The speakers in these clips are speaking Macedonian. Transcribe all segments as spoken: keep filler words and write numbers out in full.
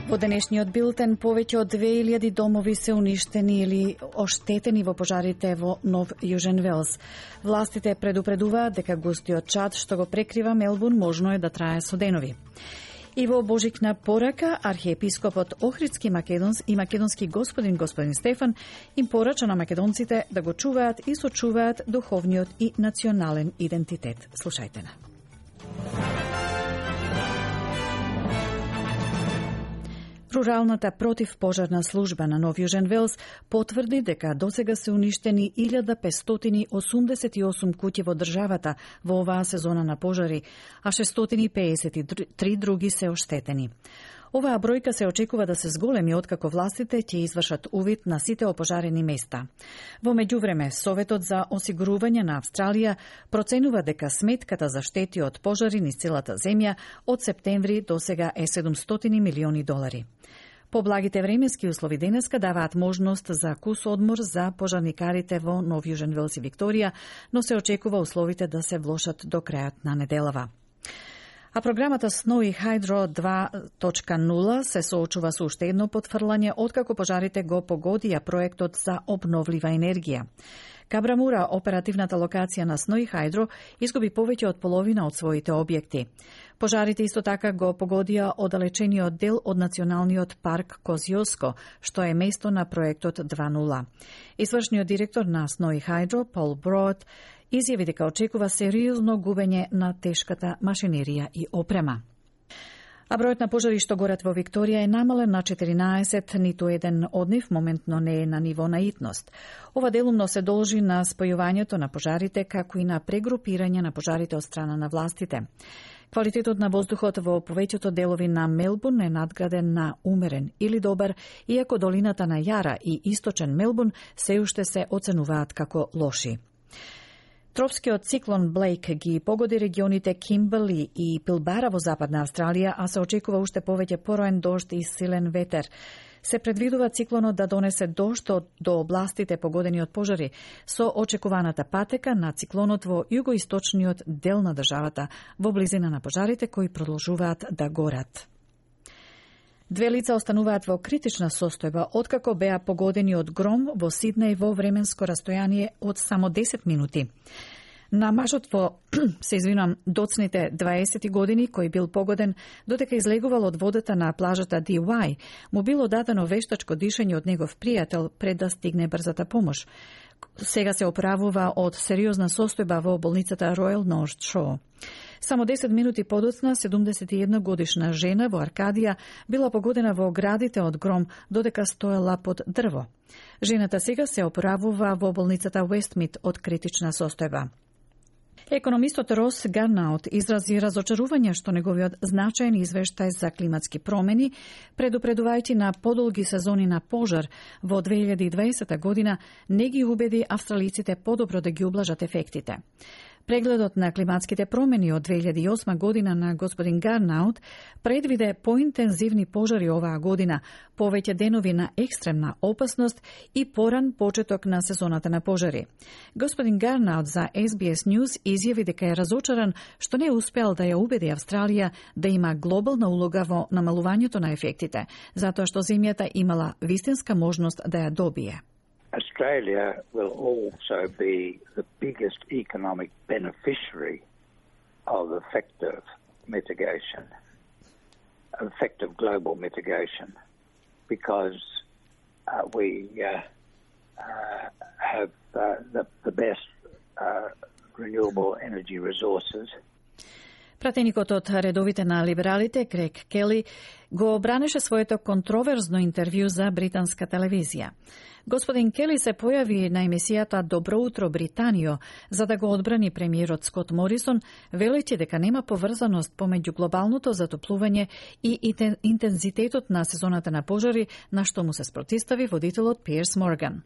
Во денешниот билтен повеќе од две илјади домови се уништени или оштетени во пожарите во Нов Јужен Велс. Властите предупредуваат дека густиот чад што го прекрива Мелбурн можно е да трае со денови. И во божикна порака, архиепископот Охридски македонс и македонски господин господин Стефан им порача на македонците да го чуваат и сочуваат духовниот и национален идентитет. Слушајте на. Руралната противпожарна служба на Нов Јужен Велс потврди дека досега се уништени илјада петстотини осумдесет и осум куќи во државата во оваа сезона на пожари, а шестстотини пеесет и три други се оштетени. Оваа бројка се очекува да се зголеми откако властите ќе извршат увид на сите опожарени места. Во меѓувреме, Советот за осигурување на Австралија проценува дека сметката за штети од пожари низ целата земја од септември до сега е седумстотини милиони долари. Поблагите временски услови денеска даваат можност за кус одмор за пожарникарите во Нов Јужен Велс и Викторија, но се очекува условите да се влошат до крајот на неделава. А програмата Snowy Hydro два точка нула се соочува со уште едно потфрлање откако пожарите го погодија проектот за обновлива енергија. Кабрамура, оперативната локација на Snowy Hydro, изгуби повеќе од половина од своите објекти. Пожарите исто така го погодија оддалечениот дел од националниот парк Козјоско, што е место на проектот два нула. Извршниот директор на Snowy Hydro, Пол Брод, изјави дека очекува сериозно губење на тешката машинерија и опрема. А бројот на пожари што горат во Викторија е намален на четиринаесет, ниту еден од нив моментно не е на ниво на итност. Ова делумно се должи на спојувањето на пожарите, како и на прегрупирање на пожарите од страна на властите. Квалитетот на воздухот во повеќето делови на Мелбурн е надграден на умерен или добар, иако долината на Јара и источен Мелбурн се уште се оценуваат како лоши. Тропскиот циклон Блейк ги погоди регионите Кимберли и Пилбара во западна Австралија, а се очекува уште повеќе пороен дожд и силен ветер. Се предвидува циклонот да донесе дожд до областите погодени од пожари, со очекуваната патека на циклонот во југоисточниот дел на државата, во близина на пожарите кои продолжуваат да горат. Две лица остануваат во критична состојба откако беа погодени од гром во Сиднеј во временско растојание од само десет минути. На мажот во, се извинувам, доцните дваесет години, кој бил погоден додека излегувал од водата на плажата Ди Уај, му било дадено вештачко дишење од негов пријател пред да стигне брзата помош. Сега се оправува од сериозна состојба во болницата Royal North Shore. Само десет минути подоцна, седумдесет и една годишна жена во Аркадија била погодена во градите од гром додека стоела под дрво. Жената сега се оправува во болницата Уестмит од критична состојба. Економистот Рос Гарнаут изрази разочарување што неговиот значаен извештај за климатски промени, предупредувајќи на подолги сезони на пожар во две илјади и дваесета година, не ги убеди австралиците подобро да ги ублажат ефектите. Прегледот на климатските промени од две илјади и осма година на господин Гарнаут предвиде поинтензивни пожари оваа година, повеќе денови на екстремна опасност и поран почеток на сезоната на пожари. Господин Гарнаут за Ес Би Ес News изјави дека е разочаран што не успеал да ја убеди Австралија да има глобална улога во намалувањето на ефектите, затоа што земјата имала вистинска можност да ја добие. Australia will also be the biggest economic beneficiary of effective mitigation, effective global mitigation, because uh, we uh, uh, have uh, the, the best uh, renewable energy resources. Пратеникот од редовите на либералите, Грег Кели, го бранеше своето контроверзно интервју за британска телевизија. Господин Кели се појави на емисијата Добро утро Британио за да го одбрани премиерот Скот Морисон, велејќи дека нема поврзаност помеѓу глобалното затоплување и интензитетот на сезоната на пожари, на што му се спротистави водителот Пиерс Морган.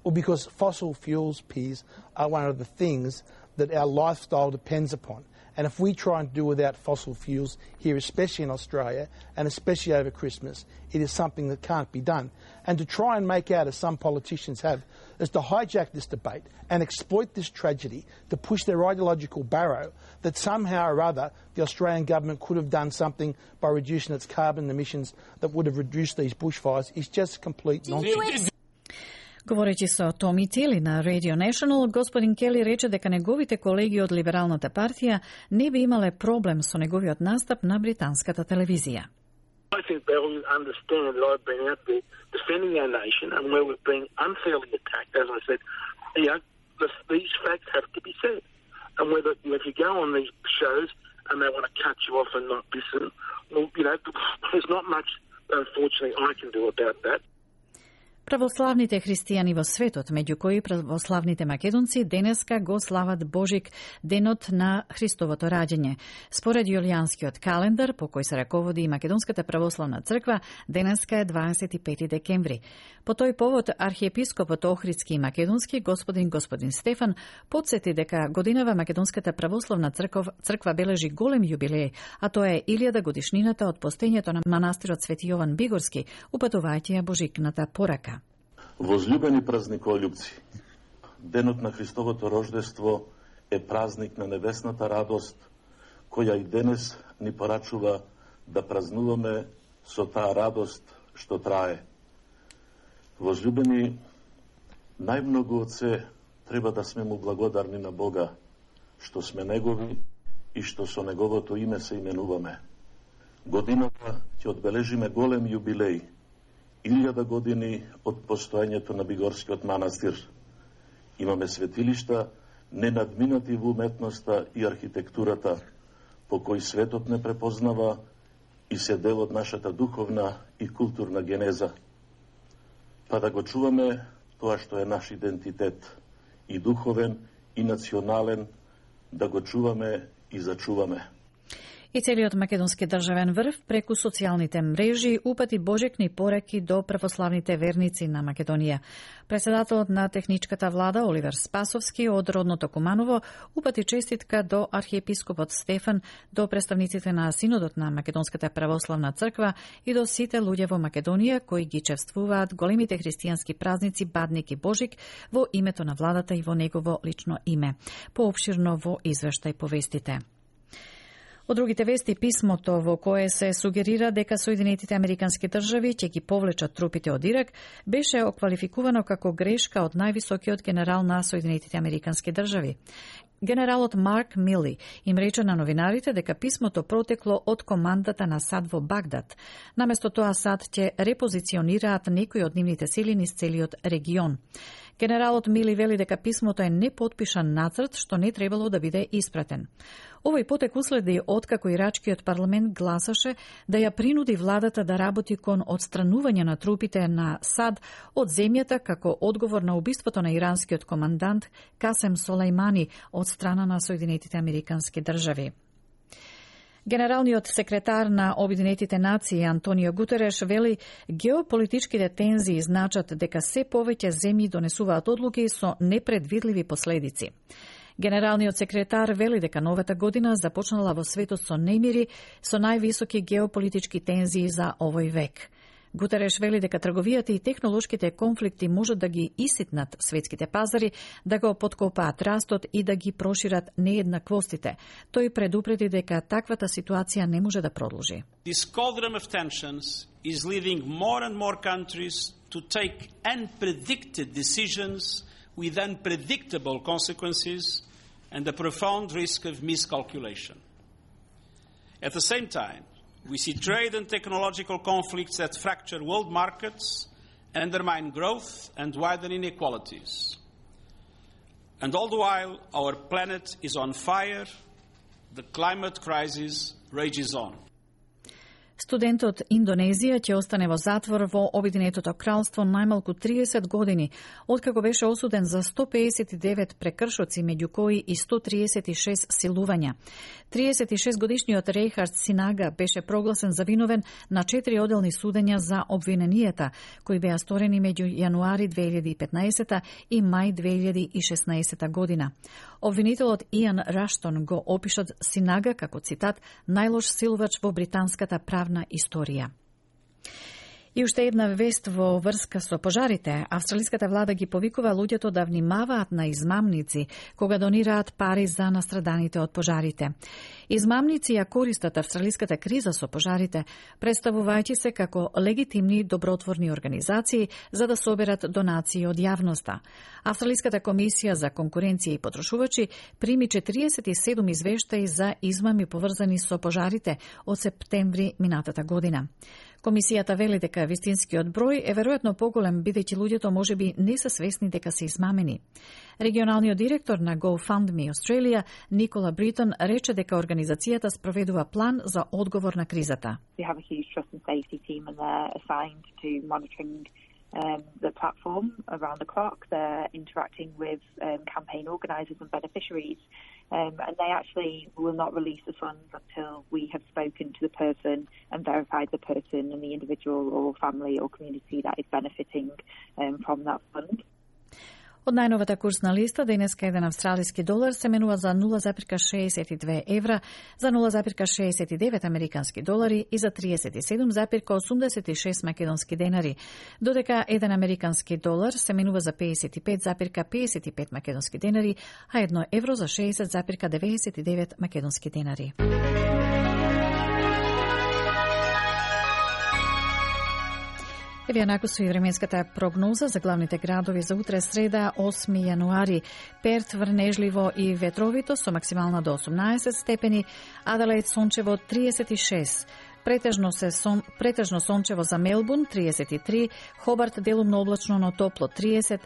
Or because fossil fuels, Piers, are one of the things that our lifestyle depends upon. And if we try and do without fossil fuels here, especially in Australia, and especially over Christmas, it is something that can't be done. And to try and make out, as some politicians have, is to hijack this debate and exploit this tragedy to push their ideological barrow that somehow or other the Australian government could have done something by reducing its carbon emissions that would have reduced these bushfires is just complete nonsense. Говорејќи со Томи Тили на Radio National, господин Кели рече дека неговите колеги од Либералната партија не би имале проблем со неговиот настап на британската телевизија. I think they will understand that I've been out there defending our nation and where we've been unfairly attacked. As I said, you know, this, these facts have to be said. And whether, you know, if you go on these shows and they want to cut you off and not listen, well, you know, there's not much, unfortunately, I can do about that. Православните христијани во светот, меѓу кои православните македонци, денеска го слават Божик, денот на Христовото раѓање. Според јулијанскиот календар, по кој се раководи и Македонската православна црква, денеска е дваесет и пети декември. По тој повод, архиепископот Охридски и Македонски, господин господин Стефан, подсети дека годинава Македонската православна црква, црква бележи голем јубилеј, а тоа е илјада годишнината од постоењето на манастирот Свети Јован Бигорски, упатувајќи ја Божикната порака. Возлюбени празниколюбци, денот на Христовото рождество е празник на небесната радост, која и денес ни порачува да празнуваме со таа радост што трае. Возлюбени, најмногу од се треба да сме му благодарни на Бога, што сме Негови и што со Неговото име се именуваме. Годината ќе одбележиме голем јубилеј, илјада години од постоењето на Бигорскиот манастир. Имаме светилишта ненадминати во уметноста и архитектурата, по кои светот не препознава и се дел од нашата духовна и културна генеза. Па да го чуваме тоа што е наш идентитет, и духовен, и национален, да го чуваме и зачуваме. И целиот македонски државен врв преку социјалните мрежи упати божекни пораки до православните верници на Македонија. Председателот на техничката влада Оливер Спасовски од родното Куманово упати честитка до архиепископот Стефан, до представниците на Синодот на Македонската православна црква и до сите луѓе во Македонија кои ги чествуваат големите христијански празници Бадник и Божик во името на владата и во негово лично име. Поопширно во извештај повестите. Од другите вести, писмото во кое се сугерира дека Соединетите Американски држави ќе ги повлечат трупите од Ирак, беше оквалификувано како грешка од највисокиот генерал на Соединетите Американски држави. Генералот Марк Мили им рече на новинарите дека писмото протекло од командата на САД во Багдад. Наместо тоа САД ќе репозиционираат некои од нивните сили низ целиот регион. Генералот Мили вели дека писмото е непотпишан нацрт што не требало да биде испратен. Овој потек уследи откако ирачкиот парламент гласаше да ја принуди владата да работи кон отстранување на трупите на САД од земјата како одговор на убиството на иранскиот командант Касем Солејмани од страна на Соединетите Американски држави. Генералниот секретар на Обединетите нации Антонио Гутереш вели геополитичките тензии значат дека се повеќе земји донесуваат одлуки со непредвидливи последици. Генералниот секретар вели дека новата година започнала во светот со немири, со највисоки геополитички тензии за овој век. Гутереш вели дека трговијата и технолошките конфликти можат да ги иситнат светските пазари, да го поткопаат растот и да ги прошират нееднаквостите. Тој предупреди дека таквата ситуација не може да продолжи. This cauldron of tensions is leading more and more countries to take unpredicted decisions with unpredictable consequences and a profound risk of miscalculation. At the same time, we see trade and technological conflicts that fracture world markets and undermine growth and widen inequalities. And all the while, our planet is on fire, the climate crisis rages on. Студент од Индонезија ќе остане во затвор во Обединетото кралство најмалку триесет години, откако беше осуден за сто пеесет и девет прекршоци, меѓу кои и сто триесет и шест силувања. триесет и шест годишниот Рейхард Синага беше прогласен за виновен на четири оделни судења за обвиненијата, кои беа сторени меѓу јануари две илјади и петнаесета и мај две илјади и шеснаесета година. Обвинителот Иан Раштон го опишат Синага како, цитат, најлош силувач во британската правна историја. И уште една вест во врска со пожарите. Австралиската влада ги повикува луѓето да внимаваат на измамници кога донираат пари за настраданите од пожарите. Измамници ја користат австралиската криза со пожарите, представувајќи се како легитимни добротворни организации за да соберат донации од јавноста. Австралиската комисија за конкуренција и потрошувачи прими четириесет и седум извештаи за измами поврзани со пожарите од септември минатата година. Комисијата вели дека вистинскиот број е веројатно поголем, бидејќи луѓето можеби не се свесни дека се измамени. Регионалниот директор на GoFundMe Australia, Никола Бритон, рече дека организацијата спроведува план за одговор на кризата. We have a huge trust and safety team and they're assigned to monitoring um, the platform around the clock. They're interacting with um, campaign organisers and beneficiaries. Um, and they actually will not release the funds until we have spoken to the person and verified the person and the individual or family or community that is benefiting um, from that fund. Од најновата курсна листа, денеска еден австралиски долар се менува за нула запирка шеесет и две евра, за нула запирка шеесет и девет американски долари и за триесет и седум запирка осумдесет и шест македонски денари, додека еден американски долар се менува за пеесет и пет запирка пеесет и пет македонски денари, а едно евро за шеесет запирка деветдесет и девет македонски денари. Еве јанако со и временската прогноза за главните градови за утре среда, осми јануари. Перт врнежливо и ветровито со максимална до осумнаесет степени, Аделаид сончево триесет и шест. Претежно се сон, претежно сончево за Мелбурн триесет и три, Хобарт делумно облачно но топло триесет,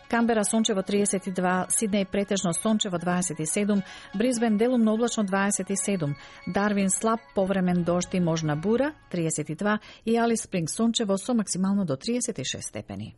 Камбера сончево триесет и два, Сиднеј претежно сончево дваесет и седум, Брисбен делумно облачно дваесет и седум, Дарвин слаб повремен дожд и можна бура триесет и два и Алис Спринг сончево со максимално до триесет и шест степени.